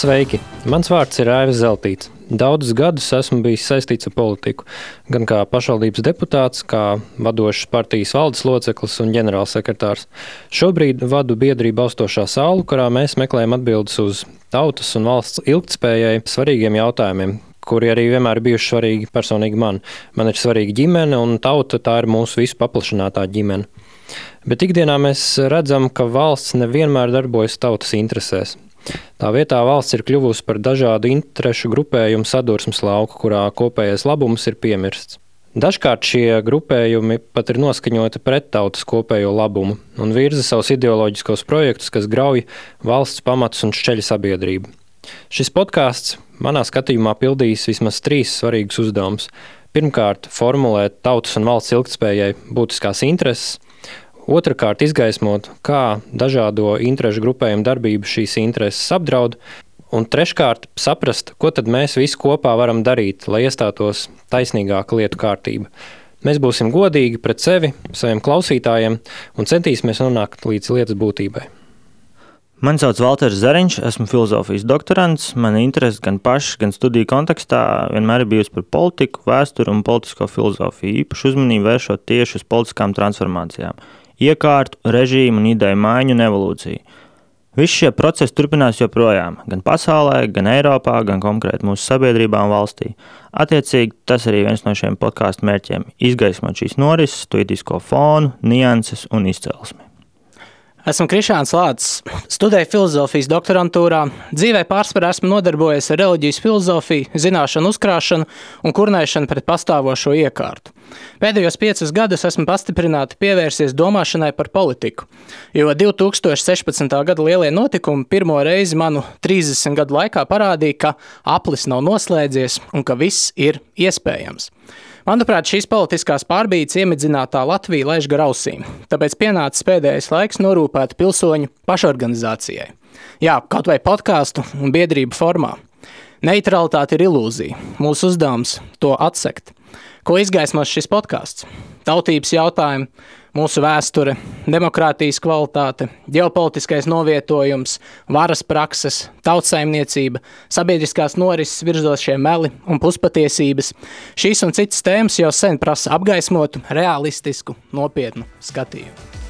Sveiki! Mans vārds ir Aivis Zeltīts. Daudzus gadus esmu bijis saistīts ar politiku, gan kā pašvaldības deputāts, kā vadošas partijas valdes loceklis un ģenerālsekretārs. Šobrīd vadu biedrību Austošā saule, kurā mēs meklējam atbildes uz tautas un valsts ilgtspējai svarīgiem jautājumiem, kuri arī vienmēr ir bijuši svarīgi personīgi man. Man ir svarīga ģimene, un tauta tā ir mūsu visu paplašinātā ģimene. Bet ikdienā mēs redzam, ka valsts nevienmēr darbojas tautas interesēs. Tā vietā valsts ir kļuvusi par dažādu interešu grupējumu sadursmes lauku, kurā kopējais labums ir piemirsts. Dažkārt šie grupējumi pat ir noskaņoti pret tautas kopējo labumu un virza savus ideoloģiskos projektus, kas grauj valsts pamatus un šķeļ sabiedrību. Šis podkāsts manā skatījumā pildīs vismaz 3 svarīgus uzdevumus. Pirmkārt, formulēt tautas un valsts ilgtspējai būtiskās intereses. Otrakārt, izgaismot, kā dažādo interešu grupējumu darbību šīs intereses apdraud. Un treškārt, saprast, ko tad mēs visi kopā varam darīt, lai iestātos taisnīgāka lietu kārtība. Mēs būsim godīgi pret sevi, saviem klausītājiem un centīsimies nonākt līdz lietas būtībai. Mani sauc Valters Zariņš, esmu filozofijas doktorants. Mana interese gan paša, gan studiju kontekstā vienmēr ir bijusi par politiku, vēsturi un politisko filozofiju, īpaši uzmanību vēršot tieši uz politiskām transformācijām, iekārtu, režīmu un ideju maiņu un evolūciju. Visi šie procesi turpinās joprojām, gan pasaulē, gan Eiropā, gan konkrēti mūsu sabiedrībā un valstī. Attiecīgi, tas arī viens no šiem podkāstu mērķiem – izgaismot šīs norises, tuitisko fonu, nianses un izcelsmi. Esmu Krišāns Lācis, studēju filozofijas doktorantūrā, dzīvē pārsvarā esmu nodarbojies ar reliģijas filozofiju, zināšanu uzkrāšanu un kurnēšanu pret pastāvošo iekārtu. Pēdējos 5 gadus esmu pastiprināti pievērsies domāšanai par politiku, jo 2016. gada lielie notikumi pirmo reizi manu 30 gadu laikā parādīja, ka aplis nav noslēdzies un ka viss ir iespējams. Manuprāt, šīs politiskās pārbīdes iemidzinātā Latvija laiž gar ausīm, tāpēc pienācis pēdējais laiks norūpēt pilsoņu pašorganizācijai. Jā, kaut vai podkāstu un biedrību formā. Neitralitāte ir ilūzija, mūsu uzdevums to atsekt. Ko izgaismos šis podkāsts? Tautības jautājumi, mūsu vēsture, demokrātijas kvalitāte, ģeopolitiskais novietojums, varas prakses, tautsaimniecība, sabiedriskās norises virzošie meli un puspatiesības. Šīs un citas tēmas jau sen prasa apgaismotu, realistisku, nopietnu skatījumu.